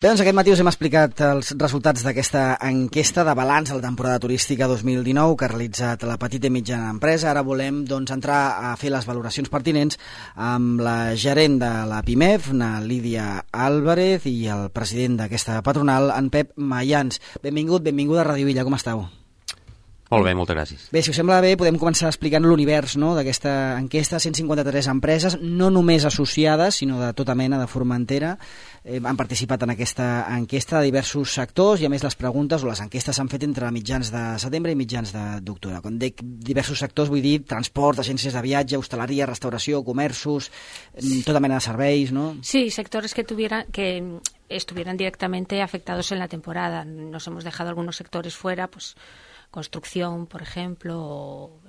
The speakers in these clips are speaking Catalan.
Bé, doncs aquest matí us hem explicat els resultats d'aquesta enquesta de balanç de la temporada turística 2019 que ha realitzat la petita i mitjana empresa. Ara volem entrar a fer les valoracions pertinents amb la gerent de la PIMEF, na Lídia Álvarez, i el president d'aquesta patronal, en Pep Mayans. Benvinguda a Ràdio Illa, com esteu? Molt bé, moltes gràcies. Bé, si us sembla bé, podem començar explicant l'univers, no?, d'aquesta enquesta. 153 empreses, no només associades, sinó de tota mena, de Formentera, han participat en aquesta enquesta de diversos sectors, i a més les preguntes o les enquestes s'han fet entre mitjans de setembre i mitjans d'octubre. Quan dic diversos sectors vull dir transport, agències de viatge, hostaleria, restauració, comerços, tota mena de serveis, ¿no? Sí, sectores que estuvieran directamente afectados en la temporada. Nos hemos dejado algunos sectores fuera, pues construcción, por ejemplo, o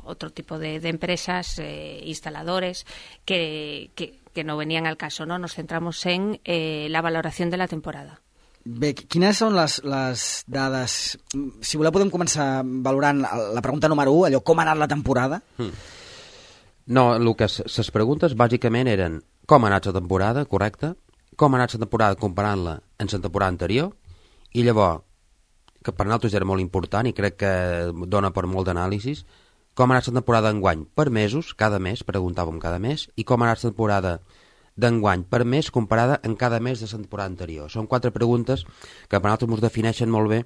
otro tipo de empresas, instaladores, que no venían al caso, ¿no? Nos centramos en la valoración de la temporada. Bé, quines són les dades? Si voleu podem començar valorant la pregunta número 1, allò, com ha anat la temporada? No, el que les preguntes bàsicament eren com ha anat la temporada, correcte, com ha anat la temporada comparant-la amb la temporada anterior, i llavors, que per nosaltres era molt important i crec que dona per molt d'anàlisis, com ha anat la temporada d'enguany per mesos, cada mes, preguntàvem cada mes, i com ha anat la temporada d'enguany per mes comparada amb cada mes de la temporada anterior. Són 4 preguntes que per nosaltres ens defineixen molt bé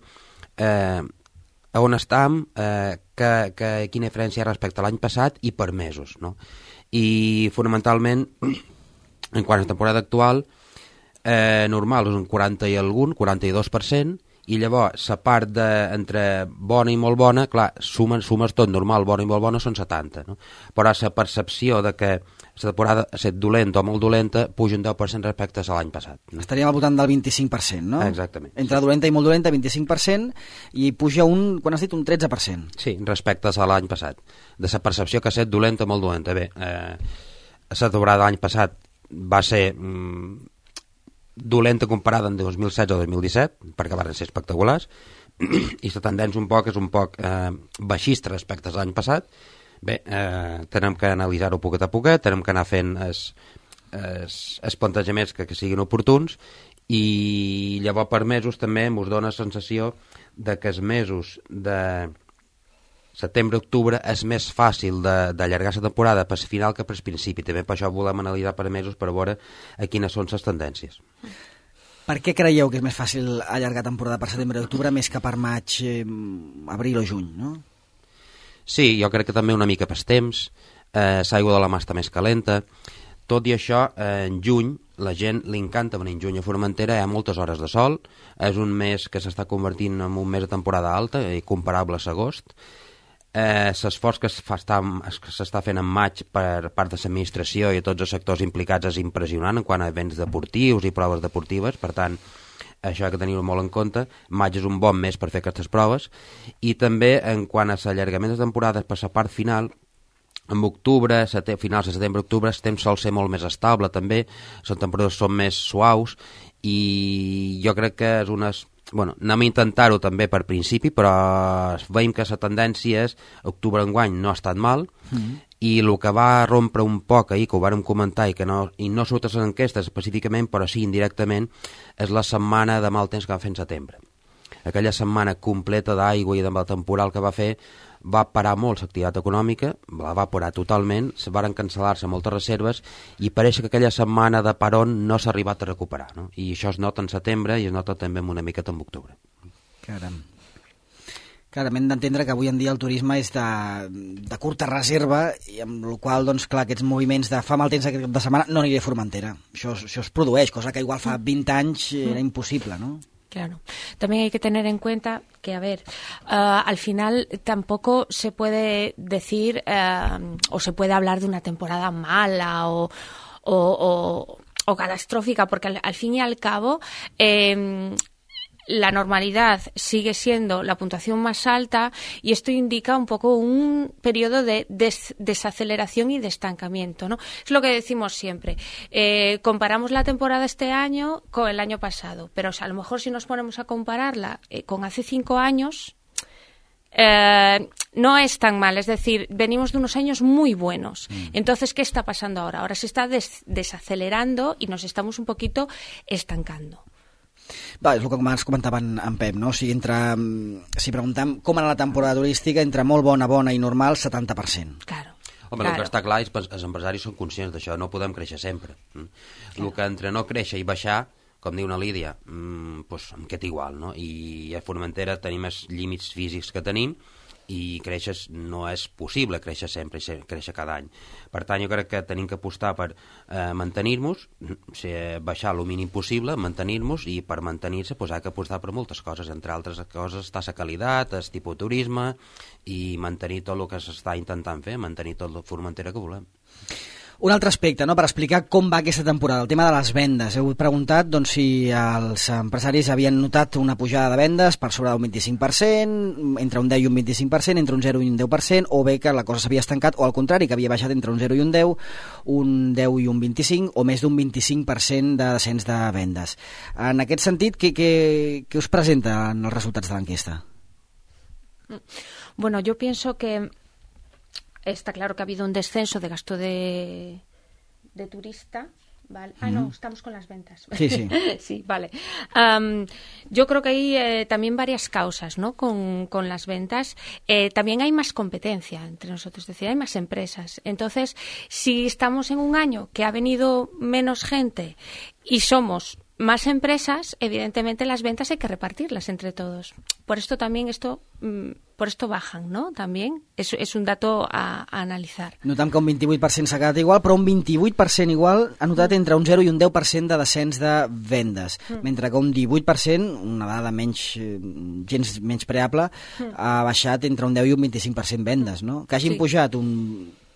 a on estem, quina diferència hi ha respecte a l'any passat i per mesos, no? I fonamentalment, en quant a la temporada actual, normal és un 40 i algun, 42%, i llavors la part entre bona i molt bona, clar, sumes tot, normal, bona i molt bona són 70, no? Però la percepció de que la temporada ha estat dolenta o molt dolenta puja un 10% respecte a l'any passat, no? Estaríem al voltant del 25%, no? Exactament. Entre dolenta i molt dolenta, 25%, i puja quan has dit un 13%. Sí, respecte a l'any passat. De la percepció que ha estat dolenta o molt dolenta. Bé, la temporada de l'any passat va ser dolenta comparada en 2016 o 2017, perquè van ser espectaculars, i la tendència és un poc baixista respecte a l'any passat. Bé, tenem que analitzar-ho poquet a poquet, tenem que anar fent els plantejaments que siguin oportuns, i llavors per mesos també ens dona la sensació de que els mesos de setembre-octubre és més fàcil d'allargar la temporada per final que per principi. També per això volem analitzar per mesos per veure quines són les tendències. Per què creieu que és més fàcil allargar temporada per setembre-octubre més que per maig, abril o juny, no? Sí, jo crec que també una mica pels temps, l'aigua de la mà està més calenta. Tot i això, en juny, la gent li encanta venir en juny a Formentera, hi ha moltes hores de sol, és un mes que s'està convertint en un mes de temporada alta i comparable a l'agost. L'esforç que s'està fent en maig per part de l'administració i tots els sectors implicats és impressionant en quant a events deportius i proves deportives, per tant, això ha de tenir-ho molt en compte. Maig és un bon mes per fer aquestes proves, i també en quant a l'allargament de temporades per la part final, en octubre, finals de setembre-octubre, el temps sol ser molt més estable també, les temperatures són més suaus, i jo crec que és unes... Bueno, anem a intentar-ho també per principi, però veiem que la tendència és octubre enguany no ha estat mal, i el que va rompre un poc ahir, que ho vàrem comentar i no surt a les enquestes específicament, però sí indirectament, és la setmana de mal temps que va fer en setembre. Aquella setmana completa d'aigua i de temporal que va fer va parar molt l'activitat econòmica, la va parar totalment, se varen cancel·lar-se moltes reserves, i pareix que aquella setmana de paron no s'ha arribat a recuperar, no? I això es nota en setembre i es nota també una miqueta en octubre. Caram, hem d'entendre que avui en dia el turisme és de curta reserva, i amb la qual doncs, clar, aquests moviments de fa mal temps aquest cap de setmana no aniré a Formentera. Això es produeix, cosa que igual fa 20 anys era impossible, no? Claro. También hay que tener en cuenta que, a ver, al final tampoco se puede decir o se puede hablar de una temporada mala o catastrófica, porque al fin y al cabo la normalidad sigue siendo la puntuación más alta, y esto indica un poco un periodo de desaceleración y de estancamiento, ¿no? Es lo que decimos siempre. Comparamos la temporada este año con el año pasado, pero a lo mejor si nos ponemos a compararla con hace 5 años, no es tan mal, es decir, venimos de unos años muy buenos. Entonces, ¿qué está pasando ahora? Ahora se está desacelerando y nos estamos un poquito estancando. Va, és el que ens comentava en Pep, no? O sigui, si preguntem com era la temporada turística, entre molt bona i normal, 70%. Claro. Home, el que està clar és que els empresaris són conscients d'això, no podem créixer sempre. El que entre no créixer i baixar, com diu una Lídia, doncs em queda igual, no? I a Formentera tenim els límits físics que tenim i créixer no és possible, créixer sempre, créixer cada any. Per tant, jo crec que tenim que apostar per mantenir-nos, baixar el mínim possible, mantenir-nos, i per mantenir-se doncs, ha que apostar per moltes coses, entre altres coses està la qualitat, el tipus de turisme i mantenir tot el que s'està intentant fer, mantenir tot la Formentera que volem. Un altre aspecte, no?, per explicar com va aquesta temporada, el tema de les vendes. Heu preguntat doncs, si els empresaris havien notat una pujada de vendes per sobre d'un 25%, entre un 10 i un 25%, entre un 0 i un 10%, o bé que la cosa s'havia estancat, o al contrari, que havia baixat entre un 0 i un 10, un 10 i un 25, o més d'un 25% de descens de vendes. En aquest sentit, què us presenta en els resultats de l'enquesta? Bueno, yo pienso que está claro que ha habido un descenso de gasto de turista, ¿vale? No, estamos con las ventas. Sí, sí. Sí, vale. Yo creo que hay también varias causas, ¿no?, con las ventas. También hay más competencia entre nosotros, es decir, hay más empresas. Entonces, si estamos en un año que ha venido menos gente y somos más empresas, evidentemente las ventas hay que repartirlas entre todos. Por esto también por esto bajan, ¿no? También es un dato a analitzar. Notam que un 28% s'ha quedat igual, però un 28% igual ha notat entre un 0 i un 10% de descens de vendes, mentre que un 18%, una dada gens menyspreable, ha baixat entre un 10 i un 25% vendes, no? Que hagin pujat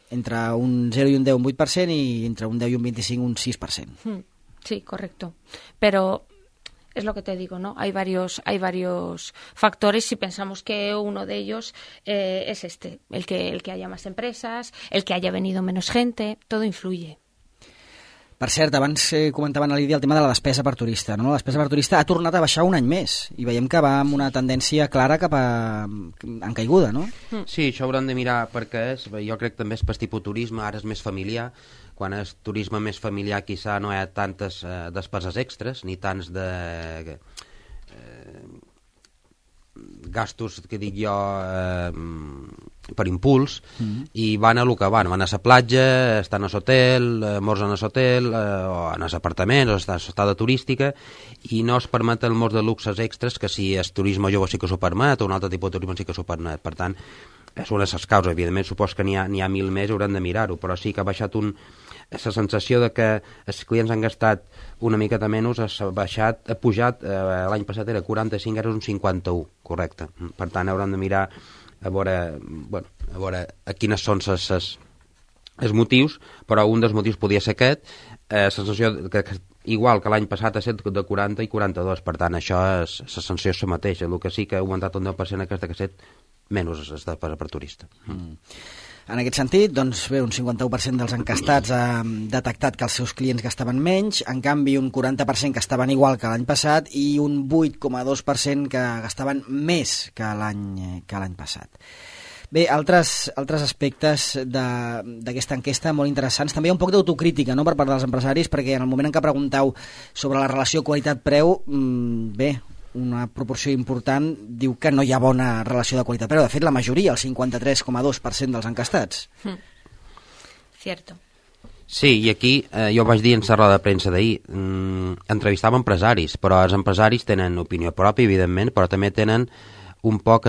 entre un 0 i un 10 un 8% i entre un 10 i un 25 un 6%. Sí, correcto. Pero es lo que te digo, ¿no? Hay varios factores y pensamos que uno de ellos es el que haya más empresas, el que haya venido menos gente, todo influye. Per cert, abans comentaven a Lídia el tema de la despesa per turista, no? La despesa per turista ha tornat a baixar un any més i veiem que va amb una tendència clara cap en caiguda, no? Sí, això hauran de mirar perquè jo crec que també és per tipus turisme, ara és més familiar. Quan és turisme més familiar quizà no hi ha tantes despeses extres ni tants de gastos, que dic jo, per impuls, i van a lo que van a la platja, estan a l'hotel, morsen a l'hotel, o en els apartaments, o estada turística, i no es permet el molts de luxes extras, que si és turisme jove sí que s'ho permet, o un altre tipus de turisme sí que s'ho permet. Per tant, és una de les causes. Evidentment, supos que n'hi ha 1.000 més, haurem de mirar-ho, però sí que ha baixat la sensació de que els clients han gastat una miqueta menys, ha pujat, l'any passat era 45, ara és un 51, correcte. Per tant, haurem de mirar a veure quines són els motius, però un dels motius podia ser aquest, la sensació que igual que l'any passat ha estat de 40 i 42, per tant, això és la sensació és la mateixa, el que sí que ha augmentat un 10% aquesta que ha estat menys per turista. En aquest sentit, doncs bé, un 51% dels encastats ha detectat que els seus clients gastaven menys, en canvi un 40% que estaven igual que l'any passat i un 8,2% que gastaven més que l'any passat. Bé, altres aspectes d'aquesta enquesta molt interessants. També hi ha un poc d'autocrítica, no?, per part dels empresaris, perquè en el moment en què pregunteu sobre la relació qualitat-preu, bé, una proporció important diu que no hi ha bona relació de qualitat-preu. De fet, la majoria, el 53,2% dels encastats. Cierto. Sí, i aquí jo vaig dir en la roda de premsa d'ahir, entrevistava empresaris, però els empresaris tenen opinió pròpia, evidentment, però també tenen un poc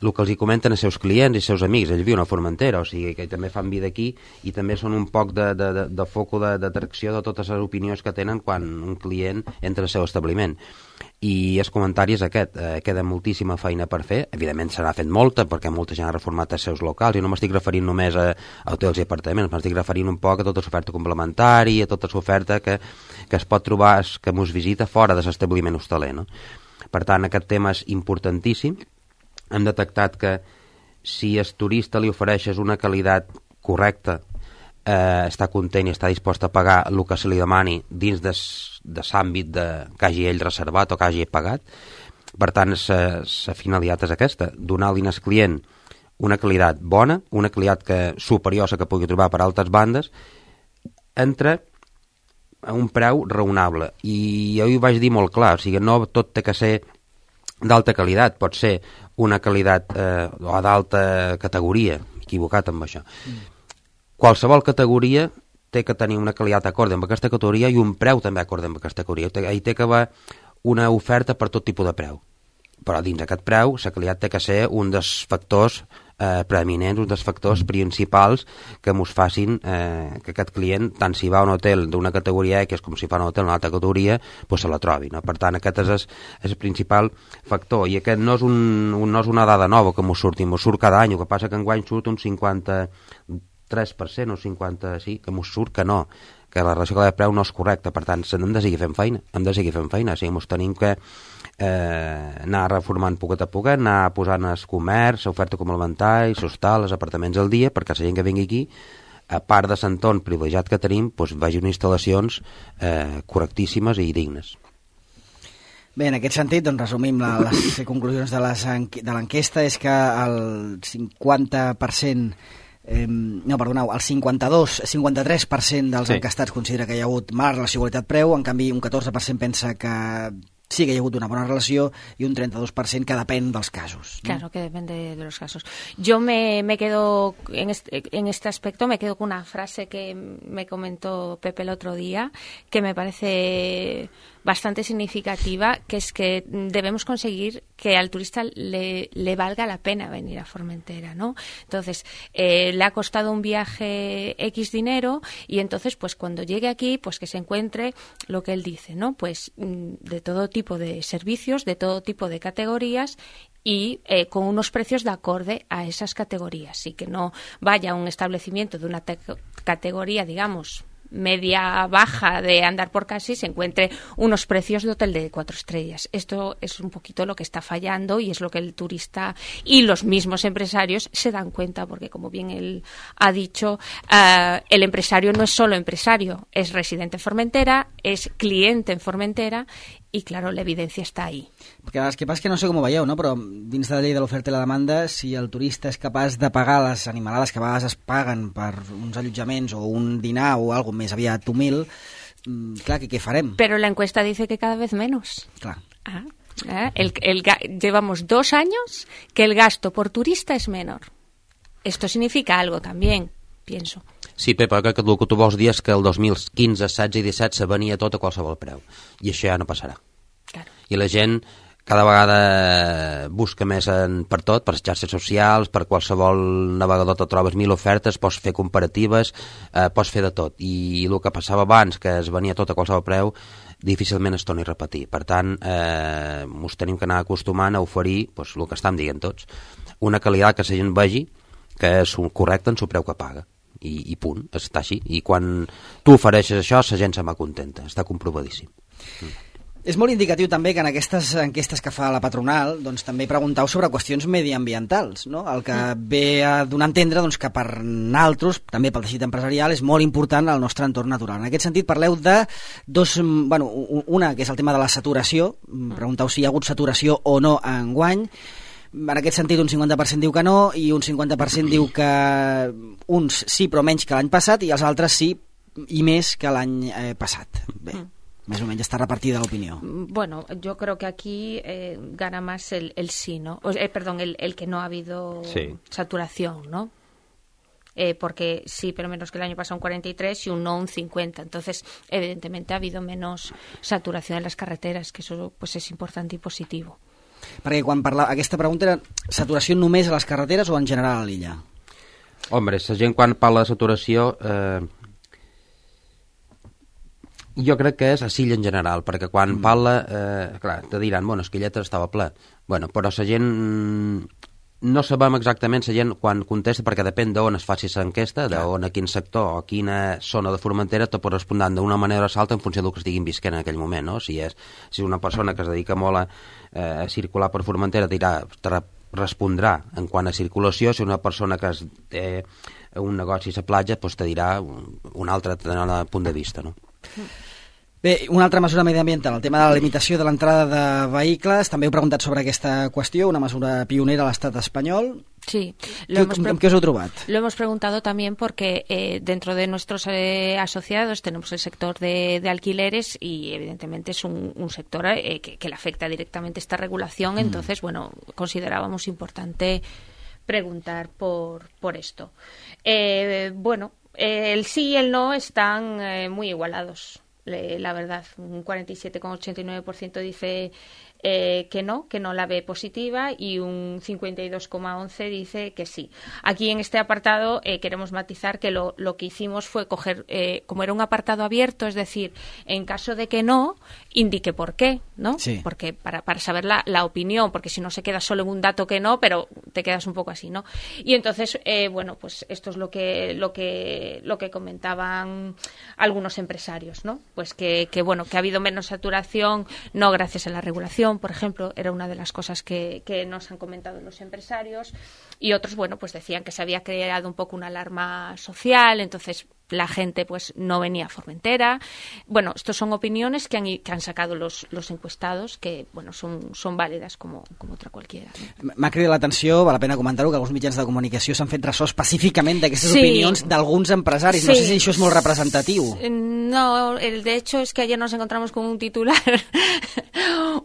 el que els hi comenten els seus clients i els seus amics. Ells viuen a Formentera, o sigui que també fan vida aquí i també són un poc de foco d'atracció de totes les opinions que tenen quan un client entra al seu establiment. I el comentari és aquest, queda moltíssima feina per fer, evidentment se n'ha fet molta perquè molta gent ha reformat els seus locals i no m'estic referint només a hotels i apartaments, m'estic referint un poc a tota l'oferta complementària, a tota l'oferta que es pot trobar, que mos visita fora de l'establiment hostaler, no? Per tant, aquest tema és importantíssim. Hem detectat que si el turista li ofereixes una qualitat correcta, està content i està dispost a pagar el que se li demani dins de l'àmbit que hagi ell reservat o que hagi pagat. Per tant, la finalitat és aquesta, donar-li al client una qualitat bona, una qualitat superior a la que pugui trobar per altres bandes, entre a un preu raonable. I jo ho vaig dir molt clar, o sigui, no tot té que ser d'alta qualitat, pot ser una qualitat o d'alta categoria, equivocat amb això. Qualsevol categoria té que tenir una qualitat acord amb aquesta categoria i un preu també acord amb aquesta categoria. Hi té que haver una oferta per tot tipus de preu. Però dins d'aquest preu, la qualitat té que ser un dels factors preeminents, un dels factors principals que mos facin que aquest client, tant si va a un hotel d'una categoria X com si fa un hotel d'una altra categoria, pues se la trobi, no? Per tant, aquest és el principal factor, i aquest no és una dada nova que mos surt cada any, el que passa que enguany surt un 53% o 50%, sí, que mos surt que no, que la relació de preu no és correcta, per tant, hem de seguir fent feina, o sigui, mos tenim que anar reformant poquet a poquet, anar posant el comerç, l'oferta complementària, l'hostal, els apartaments al dia, perquè la gent que vingui aquí, a part de l'entorn privilegiat que tenim, doncs vegin instal·lacions correctíssimes i dignes. Bé, en aquest sentit, doncs resumim les conclusions de l'enquesta, és que el 50%, el 53% dels enquestats considera que hi ha hagut mala relació qualitat-preu, en canvi un 14% pensa que sí que hi ha hagut una bona relació y un 32% que depèn dels casos, ¿no? Claro, que depende de los casos. Yo me quedo, en este aspecto, me quedo con una frase que me comentó Pepe el otro día, que me parece bastante significativa, que es que debemos conseguir que al turista le valga la pena venir a Formentera, ¿no? Entonces, le ha costado un viaje X dinero y entonces, pues cuando llegue aquí, pues que se encuentre lo que él dice, ¿no? Pues de todo tipo de servicios, de todo tipo de categorías y con unos precios de acorde a esas categorías, y que no vaya a un establecimiento de una categoría, digamos, media baja de andar por casa y se encuentre unos precios de hotel de 4 estrellas. Esto es un poquito lo que está fallando y es lo que el turista y los mismos empresarios se dan cuenta, porque como bien él ha dicho, el empresario no es solo empresario, es residente en Formentera, es cliente en Formentera i, claro, l'evidència està ahí. Perquè el que passa és que no sé com ho veieu, no? Però dins de la llei de l'oferta i la demanda, si el turista és capaç de pagar les animalades que a vegades es paguen per uns allotjaments o un dinar o alguna més aviat humil, clar, què farem? Però la encuesta dice que cada vez menos. Clar. Llevamos 2 años que el gasto por turista es menor. Esto significa algo también, pienso. Sí, Pepa, crec que el que tu vols dir és que el 2015, 16 i 17 se venia tot a qualsevol preu. I això ja no passarà. Claro. I la gent cada vegada busca més per tot, per les xarxes socials, per qualsevol navegador te trobes 1000 ofertes, pots fer comparatives, pots fer de tot. I el que passava abans, que es venia tot a qualsevol preu, difícilment es torni a repetir. Per tant, ens tenim que anar acostumant a oferir doncs, el que estem dient tots. Una qualitat que la gent vegi que és correcta en el preu que paga. I punt, està així. I quan tu ofereixes això, la gent se va contenta, està comprovadíssim. És molt indicatiu també que en aquestes enquestes que fa la patronal doncs, també preguntau sobre qüestions mediambientals, no? El que ve a donar a entendre doncs, que per naltros, també pel teixit empresarial, és molt important el nostre entorn natural. En aquest sentit parleu de una, que és el tema de la saturació, preguntau si hi ha hagut saturació o no enguany. En aquest sentit, un 50% diu que no i un 50% diu que uns sí, però menys que l'any passat, i els altres sí i més que l'any passat. Bé, més o menys està repartida l'opinió. Bueno, yo creo que aquí gana más el sí, ¿no? Perdón, el que no ha habido saturación, ¿no? Porque sí, pero menos que el año pasado un 43 y un no un 50. Entonces, evidentemente ha habido menos saturación en las carreteras, que eso pues es importante y positivo. Perquè quan aquesta pregunta era saturació només a les carreteres o en general a l'illa? Hombre, la gent quan parla de saturació jo crec que és a l'illa en general, perquè quan parla clar, te diran, bueno, Esquilletes estava ple, bueno, però la gent no sabem exactament la gent quan contesta, perquè depèn d'on es faci l'enquesta, d'on, a quin sector o quina zona de Formentera te pot respondre d'una manera o l'altra en funció del que estiguin visquent en aquell moment, no? Si és una persona que es dedica molt a circular per Formentera te respondrà en quant a circulació, si una persona que té un negoci a la platja doncs te dirà un altre punt de vista, no? Bé, una altra mesura mediambiental, el tema de la limitació de l'entrada de vehicles. També heu preguntat sobre aquesta qüestió, una mesura pionera a l'estat espanyol. Sí. ¿Qué os he trobat? Lo hemos preguntado también porque dentro de nuestros asociados tenemos el sector de alquileres y evidentemente es un sector que le afecta directamente esta regulación. Entonces, bueno, considerábamos importante preguntar por esto. Bueno, el sí y el no están muy igualados. La verdad, un 47,89% dice que no la ve positiva y un 52,11% dice que sí. Aquí en este apartado queremos matizar que lo que hicimos fue coger, como era un apartado abierto, es decir, en caso de que no, indique por qué, ¿no? Sí. Porque para saber la opinión, porque si no se queda solo en un dato que no, pero te quedas un poco así, ¿no? Y entonces, bueno, pues esto es lo que comentaban algunos empresarios, ¿no? Pues que bueno, que ha habido menos saturación, no gracias a la regulación, por ejemplo, era una de las cosas que nos han comentado los empresarios, y otros, bueno, pues decían que se había creado un poco una alarma social, entonces la gente pues no venía a Formentera. Bueno, estos son opiniones que han sacado los encuestados, que bueno, son válides como otra qualsevol. No? M'ha cridat l'atenció, val la pena comentar-ho, que alguns mitjans de comunicació s'han fet ressò específicament d'aquestes opinions d'alguns empresaris. No sé si això és molt representatiu. No, de hecho es que ayer nos encontramos con un titular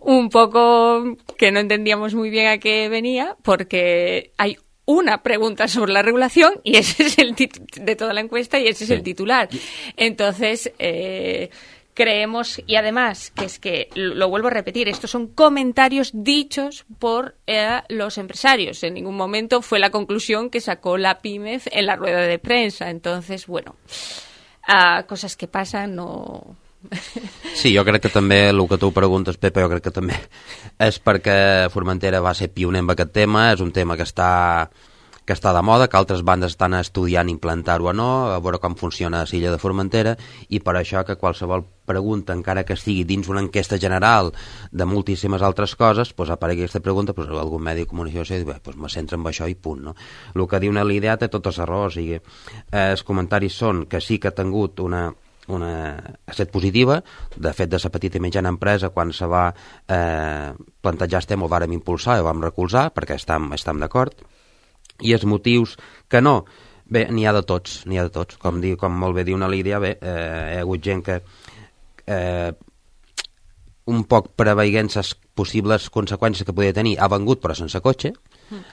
un poco que no entendíamos muy bien a qué venía, porque hay una pregunta sobre la regulación y ese es el de toda la encuesta y ese es el titular. Entonces, creemos, y además, que es que, lo vuelvo a repetir, estos son comentarios dichos por los empresarios. En ningún momento fue la conclusión que sacó la PIMEF en la rueda de prensa. Entonces, bueno, cosas que pasan, no... Sí, jo crec que també el que tu preguntes, Pepa, jo crec que també és perquè Formentera va ser pioner en aquest tema, és un tema que està de moda, que altres bandes estan estudiant implantar-ho o no, a veure com funciona a l'illa de Formentera, i per això que qualsevol pregunta, encara que sigui dins una enquesta general de moltíssimes altres coses, doncs aparegui aquesta pregunta, doncs algun medi de comunicació diu, doncs me centro en això i punt, no? El que diu una idea té totes les raons, o sigui, els comentaris són que sí que ha tingut una set positiva. De fet, de la petita i mitjana empresa, quan se va plantejar el tema, ho vàrem impulsar i ho vam recolzar, perquè estem d'acord. I els motius que no, bé, n'hi ha de tots. Com molt bé diu una Lídia, bé, hi ha hagut gent que un poc preveient les possibles conseqüències que podia tenir, ha vengut però sense cotxe.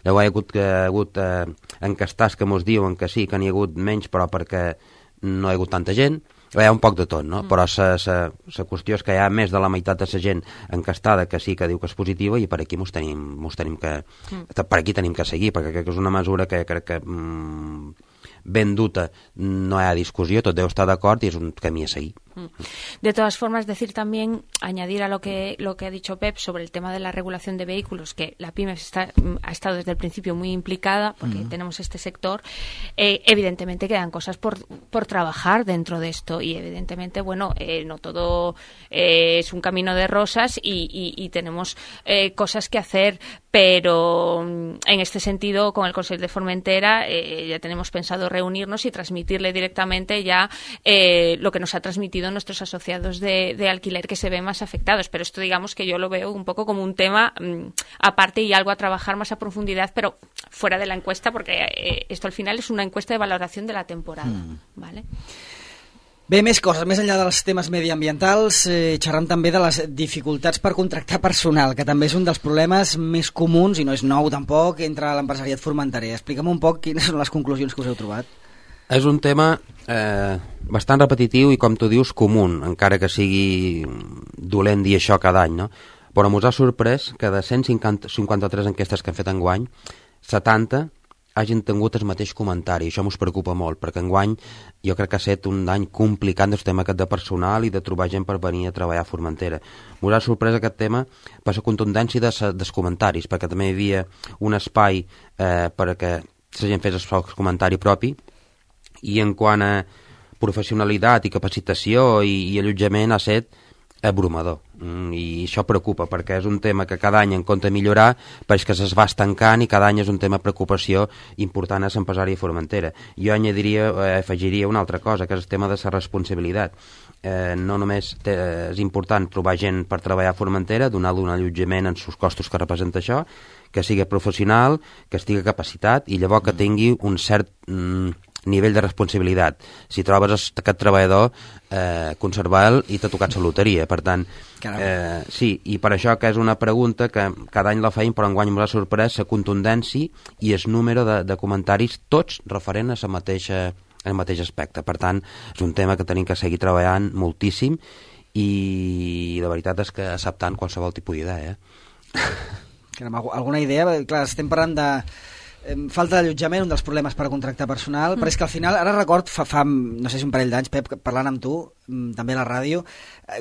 Llavors hi ha hagut encastats que mos diuen que sí, que n'hi ha hagut menys, però perquè no hi ha hagut tanta gent. Hi ha un poc de tot, no? Però la qüestió és que hi ha més de la meitat de la gent encastada que sí que diu que és positiva, i per aquí per aquí tenim que seguir, perquè crec que és una mesura que crec que ben duta, no hi ha discussió, tot deu estar d'acord i és un camí a seguir. De todas formas, decir también, añadir a lo que ha dicho Pep sobre el tema de la regulación de vehículos, que la PIMEF ha estado desde el principio muy implicada, porque tenemos este sector. Evidentemente quedan cosas por trabajar dentro de esto, y evidentemente, bueno, no todo es un camino de rosas y tenemos cosas que hacer, pero en este sentido, con el Consejo de Formentera ya tenemos pensado reunirnos y transmitirle directamente ya lo que nos ha transmitido nuestros asociados de alquiler, que se ven más afectados. Pero esto, digamos que yo lo veo un poco como un tema aparte y algo a trabajar más a profundidad, pero fuera de la encuesta, porque esto al final es una encuesta de valoración de la temporada, ¿vale? Bé, més coses, més enllà dels temes mediambientals, xerram també de les dificultats per contractar personal, que també és un dels problemes més comuns, i no és nou tampoc, entre l'empresariat formenterer. Explica'm un poc quines són les conclusions que us heu trobat. És un tema bastant repetitiu i, com tu dius, comú, encara que sigui dolent dir això cada any, no? Però ens ha sorprès que de 153 enquestes que hem fet enguany, 70 hagin tingut el mateix comentari. Això ens preocupa molt, perquè enguany jo crec que ha estat un any complicat del tema aquest de personal i de trobar gent per venir a treballar a Formentera. Ens ha sorprès aquest tema per la contundència dels comentaris, perquè també hi havia un espai perquè la gent fes el seu comentari propi, i en quant a professionalitat i capacitació i allotjament ha estat abrumador, i això preocupa, perquè és un tema que cada any en compte millorar, però és que es va estancant i cada any és un tema de preocupació important a l'empresari de Formentera. Jo afegiria una altra cosa, que és el tema de la responsabilitat. no només és important trobar gent per treballar a Formentera, donar-li un allotjament en els costos que representa això, que sigui professional, que estigui capacitat i llavors que tingui un cert nivell de responsabilitat. Si trobes aquest treballador, conservar-lo i t'ha tocat la loteria. Per tant, sí, i per això que és una pregunta que cada any la feim, però enguany m'ha sorprès la contundència i el número de comentaris, tots referent a el mateix aspecte. Per tant, és un tema que tenim que seguir treballant moltíssim i la veritat és que acceptant qualsevol tipus d'idea. Alguna idea? Clar, estem parlant de falta d'allotjament, un dels problemes per contractar personal, però és que al final, ara record, fa no sé si un parell d'anys, Pep, parlant amb tu, també a la ràdio,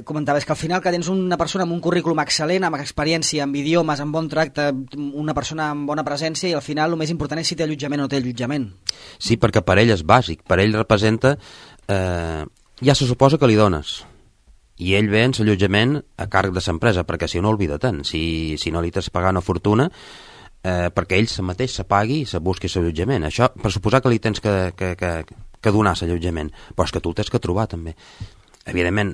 comentaves que al final que tens una persona amb un currículum excel·lent, amb experiència, amb idiomes, amb bon tracte, una persona amb bona presència, i al final el més important és si té allotjament o no té allotjament. Sí, perquè per ell és bàsic, per ell representa... ja se suposa que li dones, i ell ve en l'allotjament a càrrec de l'empresa, perquè si no, oblida-te'n, si no li t'has pagat una fortuna, perquè ell mateix se pagui i se busqui l'allotjament. Això per suposar que li tens que donar l'allotjament, però és que tu el tens que trobar també. Evidentment,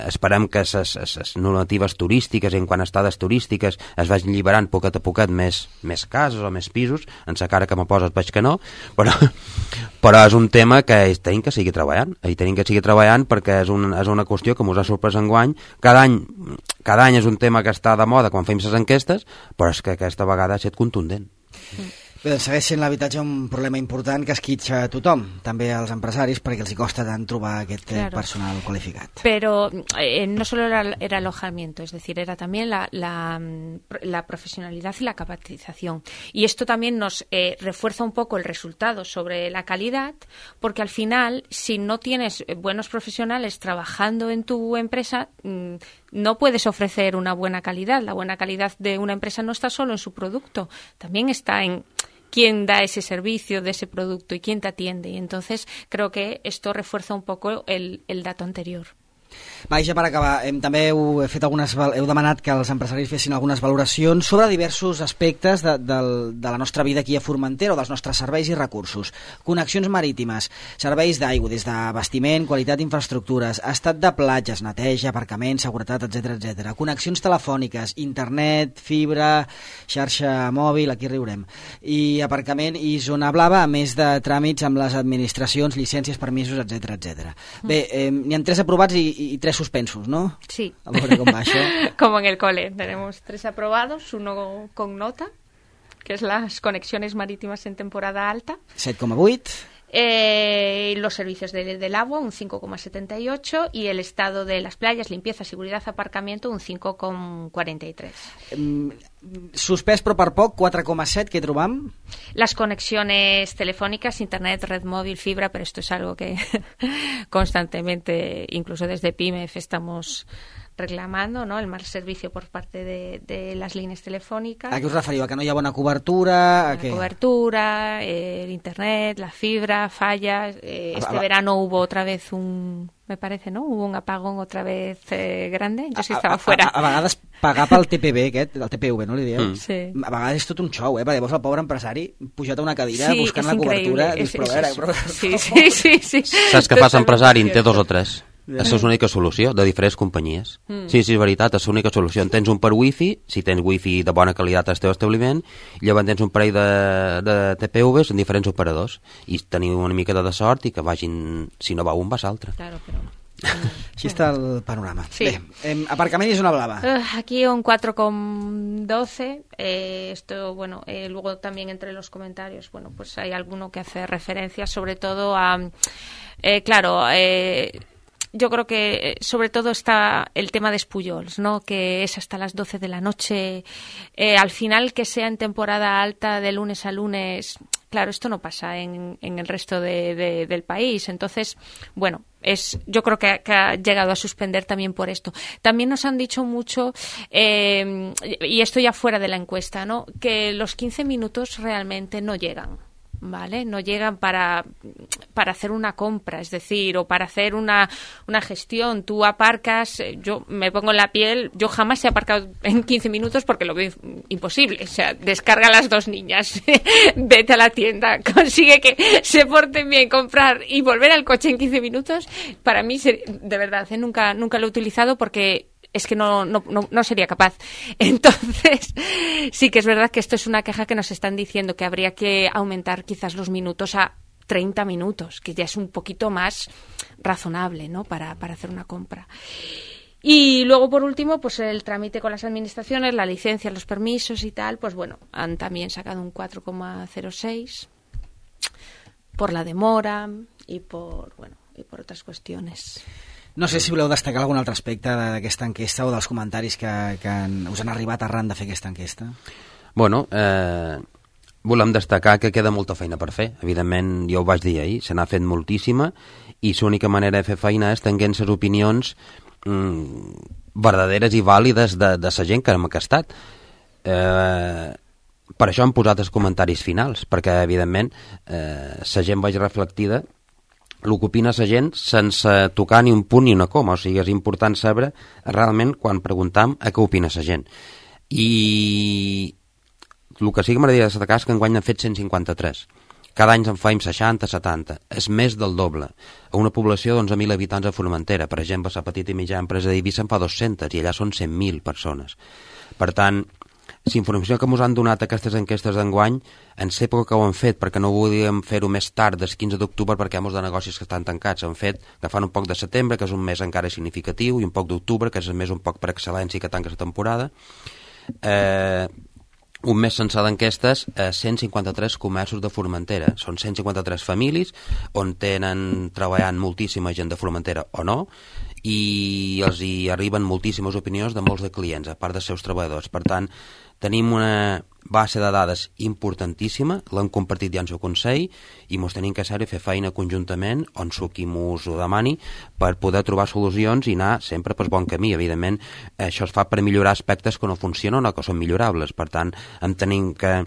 esperem que les normatives turístiques, en quant a estades turístiques, es vagin lliberant poquet a poquet més cases o més pisos. En la cara que me poses veig que no, però és un tema que tenim que seguir treballant, perquè és una qüestió que ens ha sorprès enguany. Cada any és un tema que està de moda quan fem les enquestes, però és que aquesta vegada ha estat contundent. Bé, segueix sent l'habitatge un problema important que esquitxa a tothom, també als empresaris, perquè els hi costa tant trobar aquest personal cualificat. Pero no solo era alojamiento, es decir, era también la profesionalidad y la capacitación. Y esto también nos refuerza un poco el resultado sobre la calidad, porque al final, si no tienes buenos profesionales trabajando en tu empresa, no puedes ofrecer una buena calidad. La buena calidad de una empresa no está solo en su producto, también está en quién da ese servicio de ese producto y quién te atiende. Y entonces creo que esto refuerza un poco el dato anterior. Va, i ja per acabar, també heu demanat que els empresaris fessin algunes valoracions sobre diversos aspectes de la nostra vida aquí a Formentera o dels nostres serveis i recursos. Connexions marítimes, serveis d'aigua, des d'abastiment, qualitat d'infraestructures, estat de platges, neteja, aparcament, seguretat, etc. Connexions telefòniques, internet, fibra, xarxa mòbil, aquí riurem, i aparcament i zona blava, a més de tràmits amb les administracions, llicències, permisos, etc. Bé, n'hi ha 3 aprovats y 3 suspensos, ¿no? Sí. A veure com va això. Como en el cole. Tenemos 3 aprobados, 1 con nota, que es las conexiones marítimas en temporada alta. 7,8. Los servicios del agua, un 5,78, y el estado de las playas, limpieza, seguridad, aparcamiento, un 5,43. Suspès però per poc, 4,7, què trobam? Las conexiones telefónicas, internet, red móvil, fibra, pero esto es algo que constantemente, incluso desde PYME, estamos reclamando, ¿no? El mal servicio por parte de las líneas telefónicas. ¿A qué os referiu? ¿A que no hi ha buena cobertura? Cobertura, el internet, la fibra, fallas. Este verano hubo otra vez me parece, ¿no? Hubo un apagón otra vez grande. Yo sí estava fuera. A vegades pagar pel TPV aquest, el TPV, no li dieu? Sí. A vegades és tot un xou, perquè llavors el pobre empresari pujat a una cadira buscant la cobertura. Sí. Saps què fa l'empresari? En té 2 o 3. Això és l'única solució, de diferents companyies. Sí, és veritat, és l'única solució. En tens un per wifi, si tens wifi de bona qualitat al teu establiment, i llavors tens un parell de TPVs en diferents operadors, i teniu una mica de sort i que vagin, si no va un, va l'altre. Claro, però... Així està el panorama. Sí. Bé, aparcament i zona blava. Aquí un 4,12. Esto, bueno, luego también entre los comentarios, bueno, pues hay alguno que hace referencia sobre todo a... yo creo que sobre todo está el tema de Espullols, ¿no? Que es hasta las 12 de la noche. Al final, que sea en temporada alta de lunes a lunes, claro, esto no pasa en el resto del país. Entonces, bueno, yo creo que ha llegado a suspender también por esto. También nos han dicho mucho, y esto ya fuera de la encuesta, ¿no? Que los 15 minutos realmente no llegan. ¿vale? No llegan para hacer una compra, es decir, o para hacer una gestión. Tú aparcas, yo me pongo en la piel, yo jamás he aparcado en 15 minutos porque lo veo imposible. O sea, descarga a las 2 niñas, vete a la tienda, consigue que se porten bien, comprar y volver al coche en 15 minutos. Para mí, de verdad, nunca lo he utilizado porque es que no sería capaz. Entonces, sí que es verdad que esto es una queja que nos están diciendo, que habría que aumentar quizás los minutos a 30 minutos, que ya es un poquito más razonable, ¿no?, para hacer una compra. Y luego, por último, pues el trámite con las administraciones, la licencia, los permisos y tal, pues bueno, han también sacado un 4,06 por la demora y por otras cuestiones. No sé si voleu destacar algun altre aspecte d'aquesta enquesta o dels comentaris que us han arribat arran de fer aquesta enquesta. Bueno, volem destacar que queda molta feina per fer. Evidentment, jo ho vaig dir ahir, se n'ha fet moltíssima i l'única manera de fer feina és tenint les opinions verdaderes i vàlides de la gent que hem enquestat. Per això hem posat els comentaris finals, perquè, evidentment, la gent vagi reflectida el que opina la gent sense tocar ni un punt ni una coma. O sigui, és important saber realment quan preguntam a què opina la gent. I el que sí que m'agradaria destacar és que enguany han fet 153. Cada any en faim 60, 70. És més del doble. A una població d'11.000 habitants a Formentera. Per exemple, la petita i mitjana empresa d'Eivissa en fa 200 i allà són 100.000 persones. Per tant, la informació que ens han donat aquestes enquestes d'enguany, en l'època que ho han fet, perquè no volíem fer-ho més tard, del 15 d'octubre, perquè hi ha molts de negocis que estan tancats. Han fet agafant un poc de setembre, que és un mes encara significatiu, i un poc d'octubre, que és el mes un poc per excel·lència que tanca la temporada. Un mes sencer d'enquestes, 153 comerços de Formentera. Són 153 famílies on tenen treballant moltíssima gent de Formentera o no, i els hi arriben moltíssimes opinions de molts de clients, a part dels seus treballadors. Per tant, tenim una base de dades importantíssima, l'hem compartit ja en el Consell i ens tenim que fer feina conjuntament on qui ens ho demani per poder trobar solucions i anar sempre pel bon camí. Evidentment, això es fa per millorar aspectes que no funcionen o que són millorables. Per tant, hem tenim que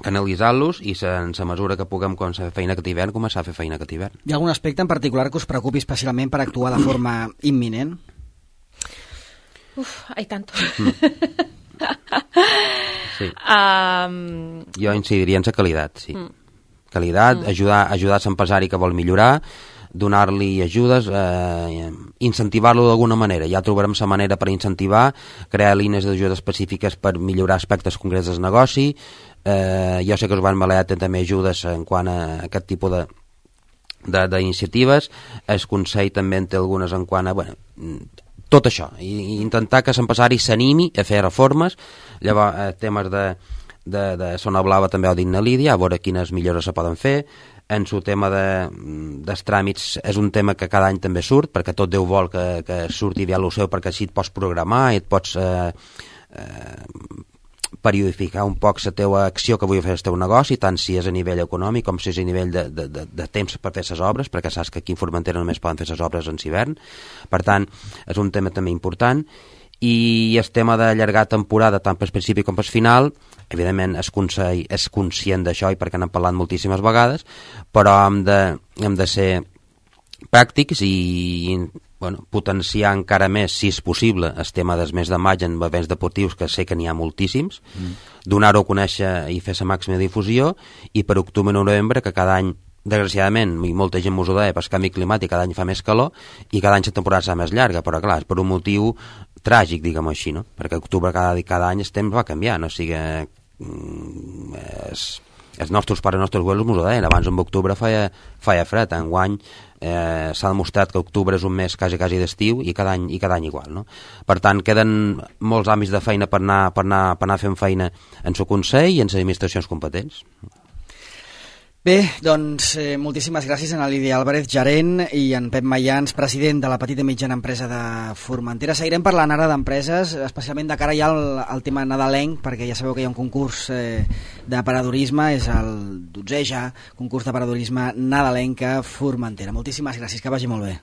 analitzar-los i en la mesura que puguem començar a fer feina aquest hivern, començar a fer feina aquest hivern. Hi ha algun aspecte en particular que us preocupi especialment per actuar de forma imminent? Hay tanto. Sí. Jo incidiria en la qualitat, sí. Qualitat, ajudar l'empresari que vol millorar, donar-li ajudes, incentivar-lo d'alguna manera. Ja trobarem la manera per incentivar, crear línies d'ajuda específiques per millorar aspectes concrets del negoci. Jo sé que Joan Balear té també ajudes en quant a aquest tipus d'iniciatives. El Consell també en té algunes en quant a... tot això, i intentar que l'empresari s'animi a fer reformes. Llavors, temes de Zona Blava també ho dit na Lídia, a veure quines millores se poden fer. En el tema dels tràmits és un tema que cada any també surt, perquè tot Déu vol que surti bé a lo seu, perquè així et pots programar i et pots periodificar un poc la teva acció que vull fer el teu negoci, tant si és a nivell econòmic com si és a nivell de temps per fer les obres, perquè saps que aquí en Formentera només poden fer les obres en hivern. Per tant, és un tema també important. I el tema d'allargar temporada tant pel principi com pel final, evidentment el Consell és conscient d'això i perquè n'hem parlat moltíssimes vegades, però hem de ser pràctics i potenciar encara més, si és possible, el tema del mes de maig en events deportius, que sé que n'hi ha moltíssims, donar-ho a conèixer i fer la màxima difusió, i per octubre i novembre, que cada any, desgraciadament, i molta gent m'ho deia, pel canvi climàtic cada any fa més calor i cada any la temporada serà més llarga, però clar, és per un motiu tràgic, diguem-ho així, no? Perquè octubre cada any el temps va canviant, o sigui, els nostres pares i els nostres abuelos m'ho deien, abans en octubre feia fred, enguany s'ha demostrat que octubre és un mes quasi d'estiu i cada any igual, no? Per tant, queden molts àmbits de feina per anar fent feina en el Consell i en les administracions competents. Bé, doncs moltíssimes gràcies a Lídia Álvarez, gerent, i en Pep Mayans, president de la petita i mitjana empresa de Formentera. Seguirem parlant ara d'empreses, especialment de cara ja al tema nadalenc, perquè ja sabeu que hi ha un concurs d'aparadorisme, és el 12è ja concurs d'aparadorisme nadalenc a Formentera. Moltíssimes gràcies, que vagi molt bé.